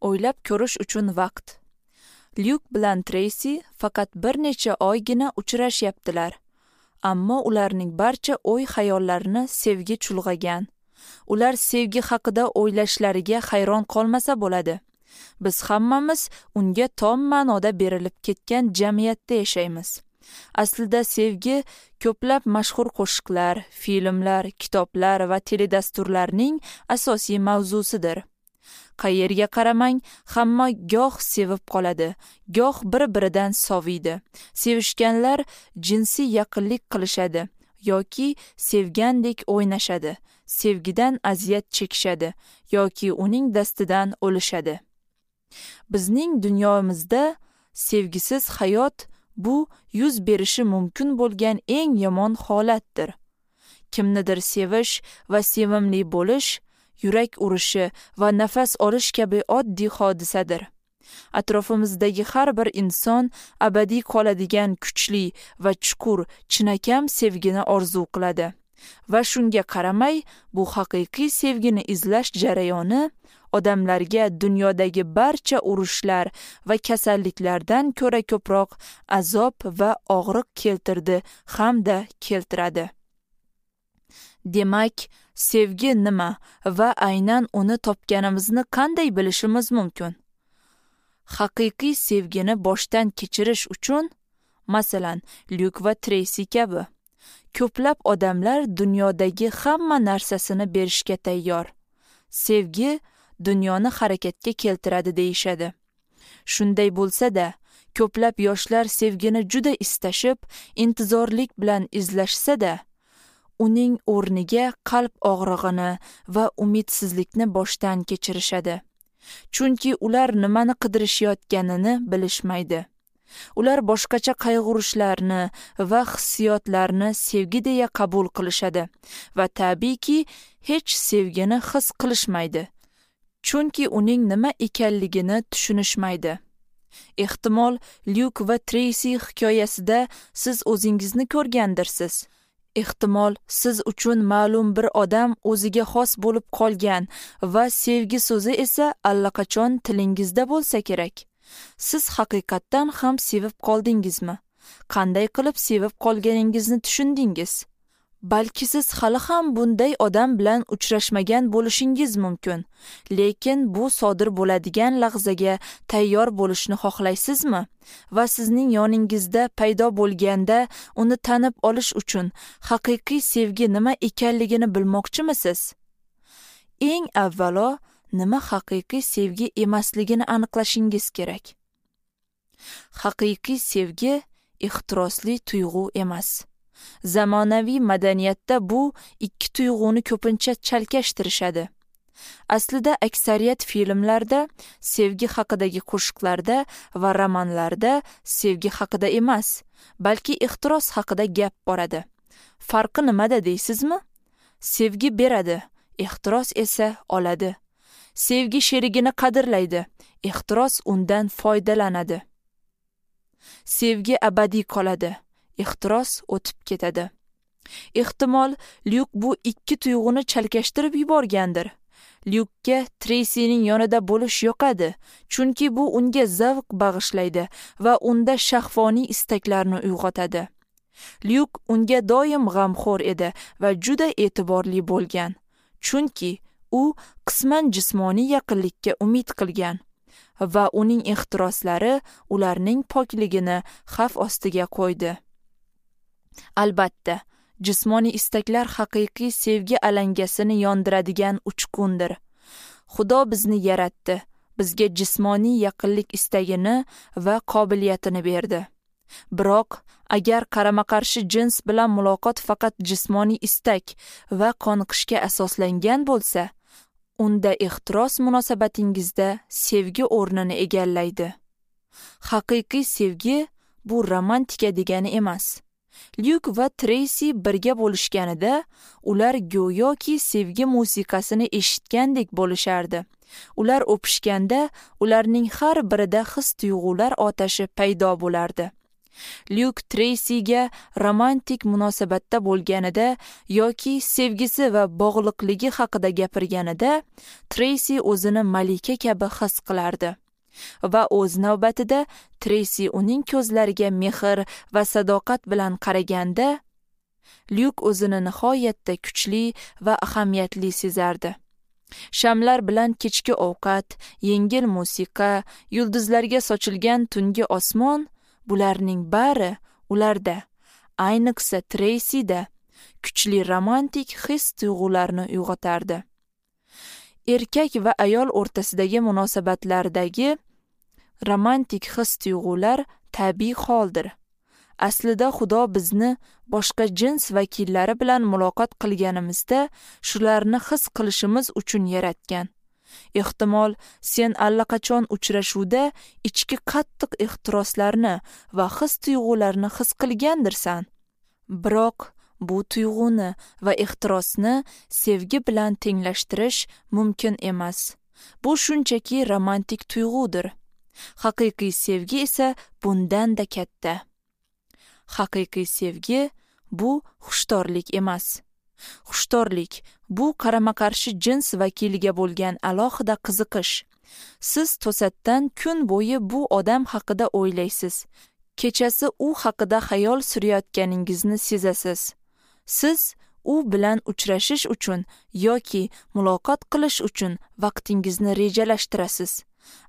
O'ylab ko'rish uchun vaqt. Lyuk bilan Treysi faqat bir necha oygina uchrashyaptilar. Ammo ularning barcha o'y-xayollarini sevgi chulg'agan. Ular sevgi haqida o'ylashlariga hayron qolmasa bo'ladi. Biz hammamiz unga tom ma'noda berilib ketgan jamiyatda yashaymiz. Aslida sevgi ko'plab mashhur qo'shiqlar, filmlar, kitoblar va teledasturlarning asosiy mavzusidir. Qayerga qaramang, hamma goh sevib qoladi, goh bir-biridan soviydi. Sevishganlar jinsiy yaqinlik qilishadi yoki sevgandek o'ynashadi, sevgidan aziyat chekishadi yoki uning dastidan o'lishadi. Bizning dunyomizda sevgisiz hayot bu yuz berishi mumkin bo'lgan eng yomon holatdir. Kimnidir sevish va sevimli bo'lish yurak urishi va nafas olish kabi oddiy hodisadir. Atrofimizdagi har bir inson abadiy qoladigan kuchli va chuqur, chinakam sevgini orzu qiladi. Va shunga qaramay, bu haqiqiy sevgini izlash jarayoni odamlarga dunyodagi barcha urushlar va kasalliklardan ko'ra ko'proq azob va og'riq keltirdi hamda keltiradi. Demak, sevgi nima va aynan uni topganimizni qanday bilishimiz mumkin? Haqiqiy sevgini boshdan kechirish uchun, masalan, Lyuk va Treysi kabi, ko'plab odamlar dunyodagi hamma narsasini berishga tayyor. Sevgi dunyoni harakatga keltiradi deyishadi. Shunday bo'lsa-da, ko'plab yoshlar sevgini juda istashib, intizorlik bilan izlashsa-da, uning o'rniga qalb og'rig'ini va umidsizlikni boshdan kechirishadi. Chunki ular nimani qidirishayotganini bilishmaydi. Ular boshqacha qayg'urishlarni va hissiyotlarni sevgi deya qabul qilishadi va tabiiyki hech sevgini his qilishmaydi. Chunki uning nima ekanligini tushunishmaydi. Ehtimol, Lyuk va Treysi hikoyasida siz o'zingizni ko'rgandirsiz. Ehtimol, siz uchun ma'lum bir odam o'ziga xos bo'lib qolgan va sevgi so'zi esa allaqachon tilingizda bo'lsa kerak. Siz haqiqatdan ham sevib qoldingizmi? Qanday qilib sevib qolganingizni tushundingiz? Balki siz hali ham bunday odam bilan uchrashmagan bo'lishingiz mumkin, lekin bu sodir bo'ladigan lahzaga tayyor bo'lishni xohlaysizmi? Va sizning yoningizda paydo bo'lganda uni tanib olish uchun haqiqiy sevgi nima ekanligini bilmoqchimisiz? Eng avvalo nima haqiqiy sevgi emasligini aniqlashingiz kerak. Haqiqiy sevgi ehtirosli tuyg'u emas. Zamonaviy madaniyatda bu ikki tuyg'uni ko'pincha chalkashtirishadi. Aslida aksariyat filmlarda, sevgi haqidagi qo'shiqlarda va romanlarda sevgi haqida emas, balki ehtiros haqida gap boradi. Farqi nimada deysizmi? Sevgi beradi, ehtiros esa oladi. Sevgi sherigini qadrlaydi, ehtiros undan foydalanadi. Sevgi abadiy qoladi, ehtiros o'tib ketadi. Ehtimol, Lyuk bu ikki tuyg'uni chalkashtirib yuborgandir. Lyukka Treysining yonida bo'lish yoqadi, chunki bu unga zavq bag'ishlaydi va unda shahvoniy istaklarni uyg'otadi. Lyuk unga doim g'amxo'r edi va juda e'tiborli bo'lgan, chunki u qisman jismoniy yaqinlikka umid qilgan va uning ehtiroslari ularning pokligini xavf ostiga qo'ydi. Albatta, jismoniy istaklar haqiqiy sevgi alangasini yondiradigan uchqundir. Xudo bizni yaratdi, bizga jismoniy yaqinlik istagini va qobiliyatini berdi. Biroq, agar qarama-qarshi jins bilan muloqot faqat jismoniy istak va qoniqishga asoslangan bo'lsa, unda ehtiros munosabatingizda sevgi o'rnini egallaydi. Haqiqiy sevgi bu romantika degani emas. Lyuk va Treysi birga bo'lishganida ular go'yoki sevgi musiqasini eshitgandek bo'lishardi. Ular o'pishganda ularning har birida his-tuyg'ular otashi paydo bo'lardi. Lyuk Treysiga romantik munosabatda bo'lganida yoki sevgisi va bog'liqligi haqida gapirganida Treysi o'zini malika kabi his qilardi. Va o'z navbatida Treysi uning ko'zlariga mehr va sadoqat bilan qaraganda, Lyuk o'zini nihoyatda kuchli va ahamiyatli sezardi. Shamlar bilan kechki ovqat, yengil musiqa, yulduzlarga sochilgan tungi osmon, bularning bari ularda, ayniqsa Treysida kuchli romantik his-tuyg'ularni uyg'otardi. Erkak va ayol o'rtasidagi munosabatlardagi romantik his-tuyg'ular tabiiy holdir. Aslida Xudo bizni boshqa jins vakillari bilan muloqot qilganimizda shularni his qilishimiz uchun yaratgan. Ehtimol, sen allaqachon uchrashuvda ichki qattiq ehtiroslarni va his-tuyg'ularni his qilgandirsan. Biroq bu tuyg'uni va ehtirosni sevgi bilan tenglashtirish mumkin emas. Bu shunchaki romantik tuyg'udir. Haqiqiy sevgi esa bundan-da katta. Haqiqiy sevgi bu xushtorlik emas. Xushtorlik bu qarama-qarshi jins vakiliga bo'lgan alohida qiziqish. Siz to'satdan kun bo'yi bu odam haqida o'ylaysiz. Kechasi u haqida xayol surayotganingizni sezasiz. Siz u bilan uchrashish uchun yoki muloqot qilish uchun vaqtingizni rejalashtirasiz.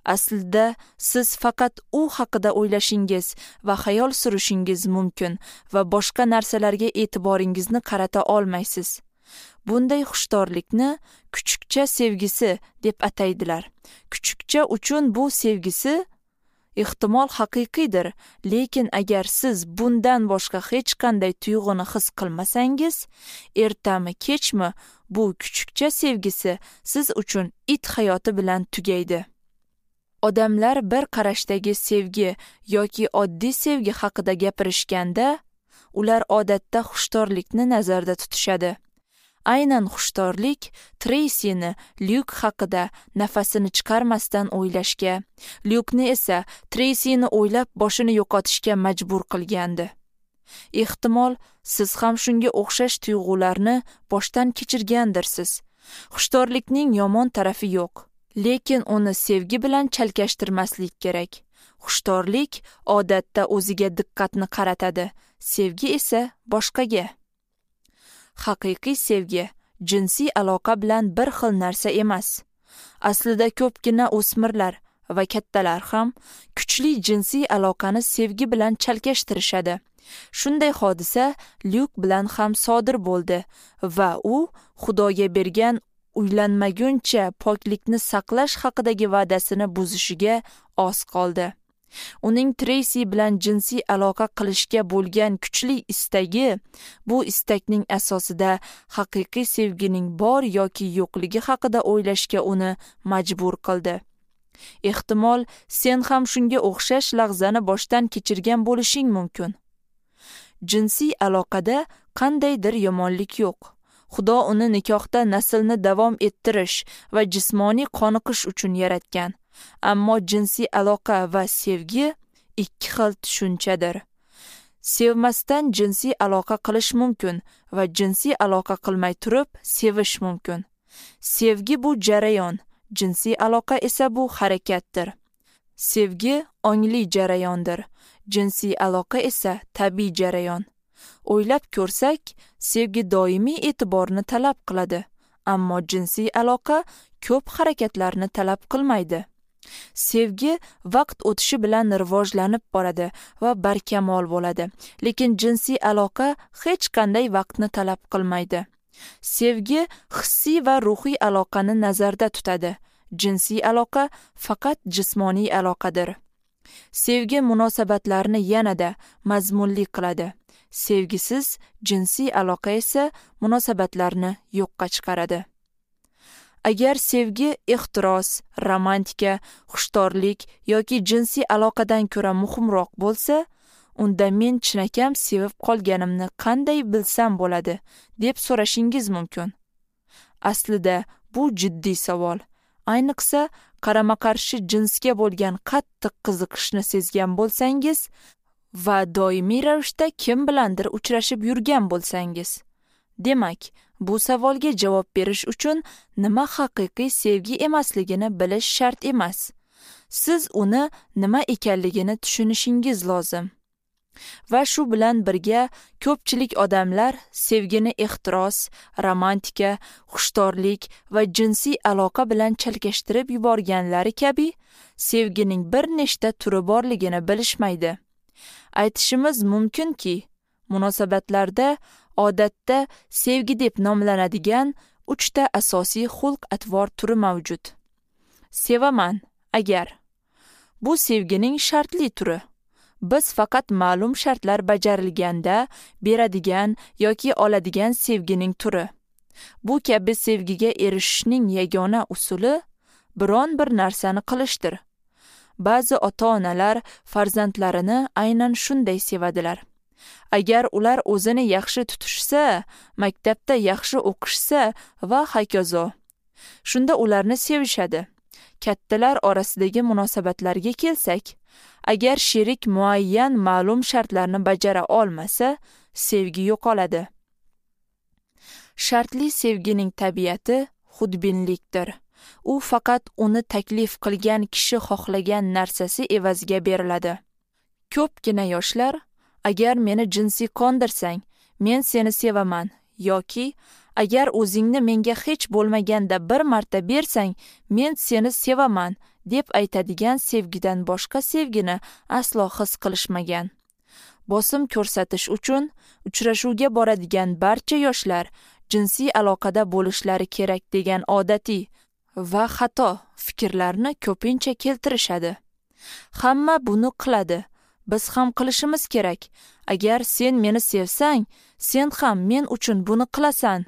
Aslida siz faqat u haqida o'ylashingiz va xayol surishingiz mumkin va boshqa narsalarga e'tiboringizni qarata olmaysiz. Bunday xushtorlikni kuchukcha sevgisi deb ataydilar. Kuchukcha uchun bu sevgisi ehtimol haqiqiydir, lekin agar siz bundan boshqa hech qanday tuyg'uni his qilmasangiz, ertami kechmi bu kuchukcha sevgisi siz uchun it hayoti bilan tugaydi. Odamlar bir qarashdagi sevgi yoki oddiy sevgi haqida gapirishganda, ular odatda xushtorlikni nazarda tutishadi. Aynan xushtorlik Treysini Lyuk haqida nafasini chiqarmasdan o'ylashga, Lyukni esa Treysini o'ylab boshini yo'qotishga majbur qilgandi. Ehtimol, siz ham shunga o'xshash tuyg'ularni boshdan kechirgandirsiz. Xushtorlikning yomon tarafi yo'q, lekin uni sevgi bilan chalkashtirmaslik kerak. Xushtorlik odatda o'ziga diqqatni qaratadi, sevgi esa boshqaga. Haqiqiy sevgi jinsiy aloqa bilan bir xil narsa emas. Aslida ko'pgina o'smirlar va kattalar ham kuchli jinsiy aloqani sevgi bilan chalkashtirishadi. Shunday hodisa Lyuk bilan ham sodir bo'ldi va u Xudoga bergan uylanmaguncha poklikni saqlash haqidagi va'dasini buzishiga oz qoldi. Uning Treysi bilan jinsiy aloqa qilishga bo'lgan kuchli istagi bu istakning asosida haqiqiy sevgining bor yoki yo'qligi haqida o'ylashga uni majbur qildi. Ehtimol, sen ham shunga o'xshash lahzani boshdan kechirgan bo'lishing mumkin. Jinsiy aloqada qandaydir yomonlik yo'q. Xudo uni nikohda naslni davom ettirish va jismoniy qoniqish uchun yaratgan. Ammo jinsiy aloqa va sevgi ikki xil tushunchadir. Sevmasdan jinsiy aloqa qilish mumkin va jinsiy aloqa qilmay turib sevish mumkin. Sevgi bu jarayon, jinsiy aloqa esa bu harakatdir. Sevgi ongli jarayondir, jinsiy aloqa esa tabiiy jarayon. O'ylab ko'rsak, sevgi doimiy e'tiborni talab qiladi, ammo jinsiy aloqa ko'p harakatlarni talab qilmaydi. Sevgi vaqt o'tishi bilan rivojlanib boradi va barkamol bo'ladi, lekin jinsiy aloqa hech qanday vaqtni talab qilmaydi. Sevgi hissiy va ruhiy aloqani nazarda tutadi. Jinsiy aloqa faqat jismoniy aloqadir. Sevgi munosabatlarni yanada mazmunli qiladi. Sevgisiz jinsiy aloqa esa munosabatlarni yo'qqa chiqaradi. Agar sevgi ehtiros, romantika, xushtorlik yoki jinsiy aloqadan ko'ra muhimroq bo'lsa, unda men chinakam sevib qolganimni qanday bilsam bo'ladi, deb so'rashingiz mumkin. Aslida bu jiddiy savol. Ayniqsa, qarama-qarshi jinsga bo'lgan qattiq qiziqishni sezgan bo'lsangiz Va doimiy ravishda kim bilandir uchrashib yurgan bo'lsangiz. Demak, bu savolga javob berish uchun nima haqiqiy sevgi emasligini bilish shart emas. Siz uni nima ekanligini tushunishingiz lozim. Va shu bilan birga ko'pchilik odamlar sevgini ehtiros, romantika, xushtorlik va jinsiy aloqa bilan chalkashtirib yuborganlari kabi sevgining bir nechta turi borligini bilishmaydi. Aytishimiz mumkinki, munosabatlarda odatda sevgi deb nomlanadigan 3 ta asosiy xulq-atvor turi mavjud. Sevaman agar. Bu sevgining shartli turi. Biz faqat ma'lum shartlar bajarilganda beradigan yoki oladigan sevgining turi. Bu kabi sevgiga erishishning yagona usuli biron bir narsani qilishdir. Ba'zi ota-onalar farzandlarini aynan shunday sevadilar. Agar ular o'zini yaxshi tutishsa, maktabda yaxshi o'qishsa va hokazo, shunda ularni sevishadi. Kattalar orasidagi munosabatlarga kelsak, agar sherik muayyan ma'lum shartlarni bajara olmasa, sevgi yo'qoladi. Shartli sevgining tabiati xudbinlikdir. U faqat uni taklif qilgan kishi xohlagan narsasi evaziga beriladi. Ko'pgina yoshlar, agar meni jinsiy qondirsang, men seni sevaman yoki agar o'zingni menga hech bo'lmaganda bir marta bersang, men seni sevaman deb aytadigan sevgidan boshqa sevgini aslo his qilishmagan. Bosim ko'rsatish uchun uchrashuvga boradigan barcha yoshlar jinsiy aloqada bo'lishlari kerak degan odatiy va xato fikrlarni ko'pincha keltirishadi. Hamma buni qiladi. Biz ham qilishimiz kerak. Agar sen meni sevsang, sen ham men uchun buni qilasan.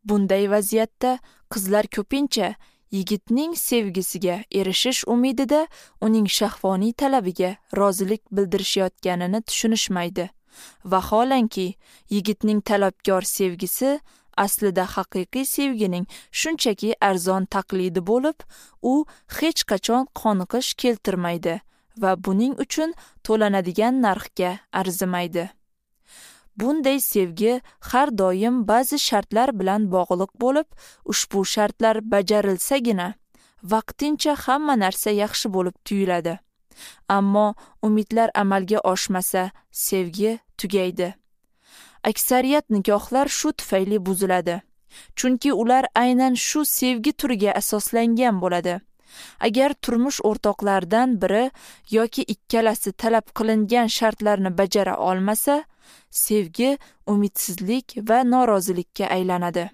Bunday vaziyatda qizlar ko'pincha yigitning sevgisiga erishish umidida uning shahvoniy talabiga rozilik bildirishayotganini tushunishmaydi. Vaholanki, yigitning talabgor sevgisi aslida haqiqiy sevgining shunchaki arzon taqlidi bo'lib, u hech qachon qoniqish keltirmaydi va buning uchun to'lanadigan narxga arzimaydi. Bunday sevgi har doim ba'zi shartlar bilan bog'liq bo'lib, ushbu shartlar bajarilsagina vaqtincha hamma narsa yaxshi bo'lib tuyuladi. Ammo umidlar amalga oshmasa, sevgi tugaydi. Aksariyat nikohlar shu tufayli buziladi. Chunki ular aynan shu sevgi turiga asoslangan bo'ladi. Agar turmush o'rtoqlaridan biri yoki ikkalasi talab qilingan shartlarni bajara olmasa, sevgi umidsizlik va norozilikka aylanadi.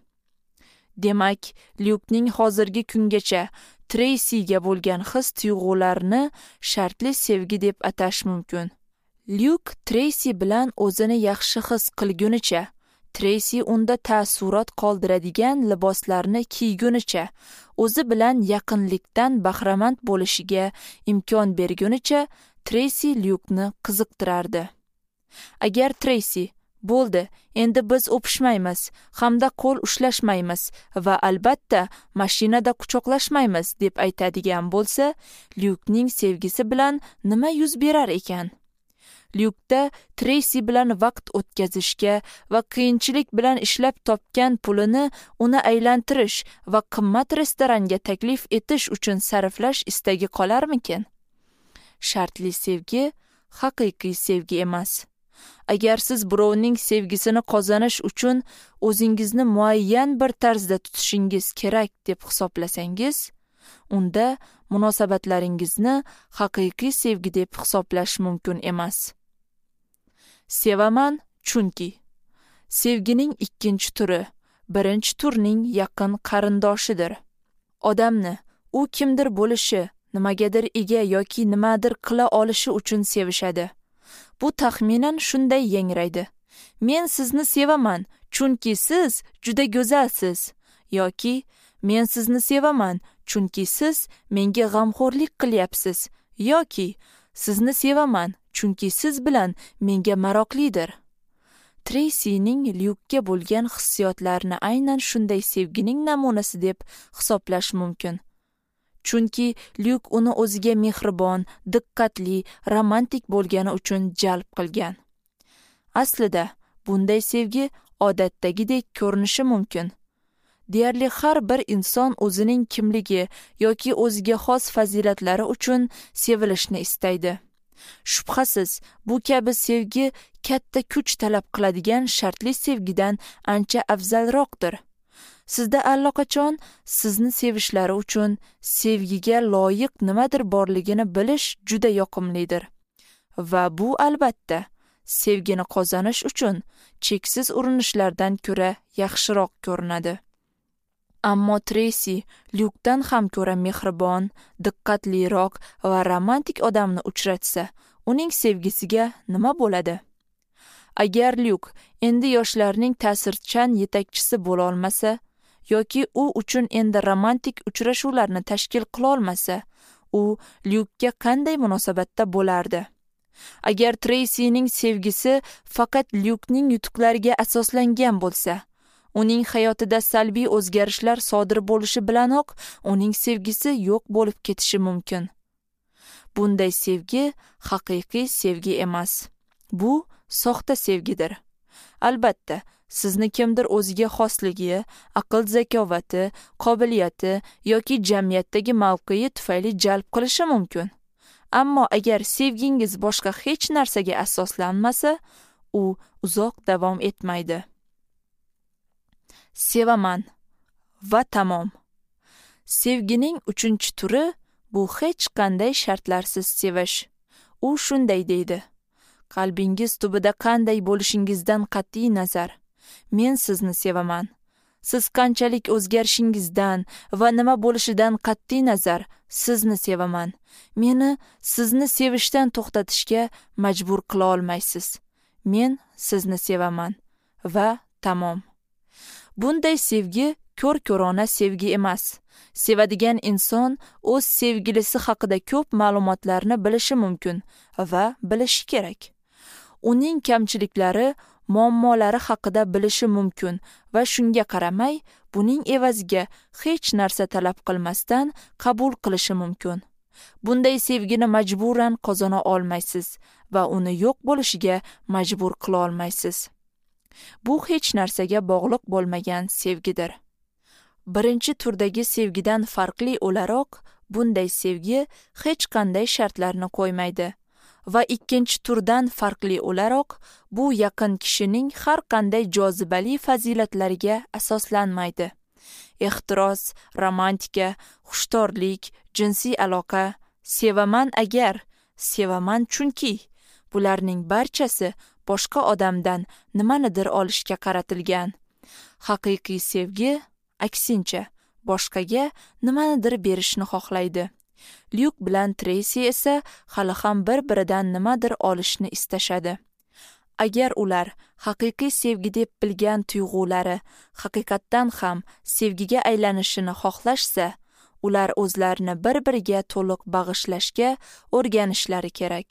Demak, Lyukning hozirgi kungacha Treysiga bo'lgan his-tuyg'ularini shartli sevgi deb atash mumkin. Lyuk Treysi bilan o'zini yaxshi his qilgunicha, Treysi unda taassurot qoldiradigan liboslarni kiygunicha, o'zi bilan yaqinlikdan bahramand bo'lishiga imkon bergunicha Treysi Lyukni qiziqtirardi. Agar Treysi bo'ldi, endi biz o'pishmaymiz, hamda qo'l ushlashmaymiz va albatta mashinada quchoqlashmaymiz deb aytadigan bo'lsa, Lyukning sevgisi bilan nima yuz berar ekan? Lyukda Treysi bilan vaqt o'tkazishga va qiyinchilik bilan ishlab topgan pulini uni aylantirish va qimmat restoranga taklif etish uchun sarflash istagi qolarmikin? Shartli sevgi haqiqiy sevgi emas. Agar siz birovning sevgisini qozonish uchun o'zingizni muayyan bir tarzda tutishingiz kerak deb hisoblasangiz, unda munosabatlaringizni haqiqiy sevgi deb hisoblash mumkin emas. Sevaman chunki sevgining ikkinchi turi birinchi turning yaqin qarindoshidir. Odamni u kimdir bo'lishi, nimagadir ega yoki nimadir qila olishi uchun sevishadi. Bu taxminan shunday yangraydi: Men sizni sevaman, chunki siz juda go'zalsiz, yoki men sizni sevaman, chunki siz menga g'amxo'rlik qilyapsiz, yoki sizni sevaman, chunki siz bilan menga maroqlidir. Treysining Lyukka bo'lgan hissiyotlarini aynan shunday sevgining namunasi deb hisoblash mumkin. Chunki Lyuk uni o'ziga mehribon, diqqatli, romantik bo'lgani uchun jalb qilgan. Aslida bunday sevgi odatdagidek ko'rinishi mumkin. Deyarli har bir inson o'zining kimligi yoki o'ziga xos fazilatlari uchun sevilishni istaydi. Shubhasiz, bu kabi sevgi katta kuch talab qiladigan shartli sevgidan ancha afzalroqdir. Sizda allaqachon sizni sevishlari uchun sevgiga loyiq nimadir borligini bilish juda yoqimlidir. Va bu albatta sevgini qozonish uchun cheksiz urinishlardan ko'ra yaxshiroq ko'rinadi. Ammo Treysi Lyukdan ham ko'ra mehribon, diqqatliroq va romantik odamni uchratsa, uning sevgisiga nima bo'ladi? Agar Lyuk endi yoshlarning ta'sirchan yetakchisi bo'la olmasa yoki u uchun endi romantik uchrashuvlarni tashkil qila olmasa, u Lyukka qanday munosabatda bo'lardi? Agar Treysining sevgisi faqat Lyukning yutuqlariga asoslangan bo'lsa, uning hayotida salbiy o'zgarishlar sodir bo'lishi bilanoq uning sevgisi yo'q bo'lib ketishi mumkin. Bunday sevgi haqiqiy sevgi emas. Bu soxta sevgidir. Albatta, sizni kimdir o'ziga xosligi, aql zakovati, qobiliyati yoki jamiyatdagi mavqei tufayli jalb qilishi mumkin. Ammo agar sevgingiz boshqa hech narsaga asoslanmasa, u uzoq davom etmaydi. Sevaman va tamom. Sevgining 3-turi bu hech qanday shartlarsiz sevish. U shunday deydi: qalbingiz tubida qanday bo'lishingizdan qat'iy nazar, men sizni sevaman. Siz qanchalik o'zgarishingizdan va nima bo'lishidan qat'iy nazar, sizni sevaman. Meni sizni sevishdan to'xtatishga majbur qila olmaysiz. Men sizni sevaman va tamom. Bunday sevgi ko'r-ko'rona sevgi emas. Sevadigan inson o'z sevgilisi haqida ko'p ma'lumotlarni bilishi mumkin va bilishi kerak. Uning kamchiliklari, muammolari haqida bilishi mumkin va shunga qaramay, buning evaziga hech narsa talab qilmasdan qabul qilishi mumkin. Bunday sevgini majburan qozona olmaysiz va uni yo'q bo'lishiga majbur qila olmaysiz. Bu hech narsaga bog'liq bo'lmagan sevgidir. Birinchi turdagi sevgidan farqli o'laroq, bunday sevgi hech qanday shartlarni qo'ymaydi. Va ikkinchi turdan farqli o'laroq, bu yaqin kishining har qanday jozibali fazilatlariga asoslanmaydi. Ehtiros, romantika, xushtorlik, jinsiy aloqa, sevaman agar, sevaman chunki, bularning barchasi boshqa odamdan nimanidir olishga qaratilgan. Haqiqiy sevgi aksincha boshqaga nimanidir berishni xohlaydi. Lyuk bilan Treysi esa hali ham bir-biridan nimadir olishni istashadi. Agar ular haqiqiy sevgi deb bilgan tuyg'ulari haqiqatdan ham sevgiga aylanishini xohlashsa, ular o'zlarini bir-biriga to'liq bag'ishlashga o'rganishlari kerak.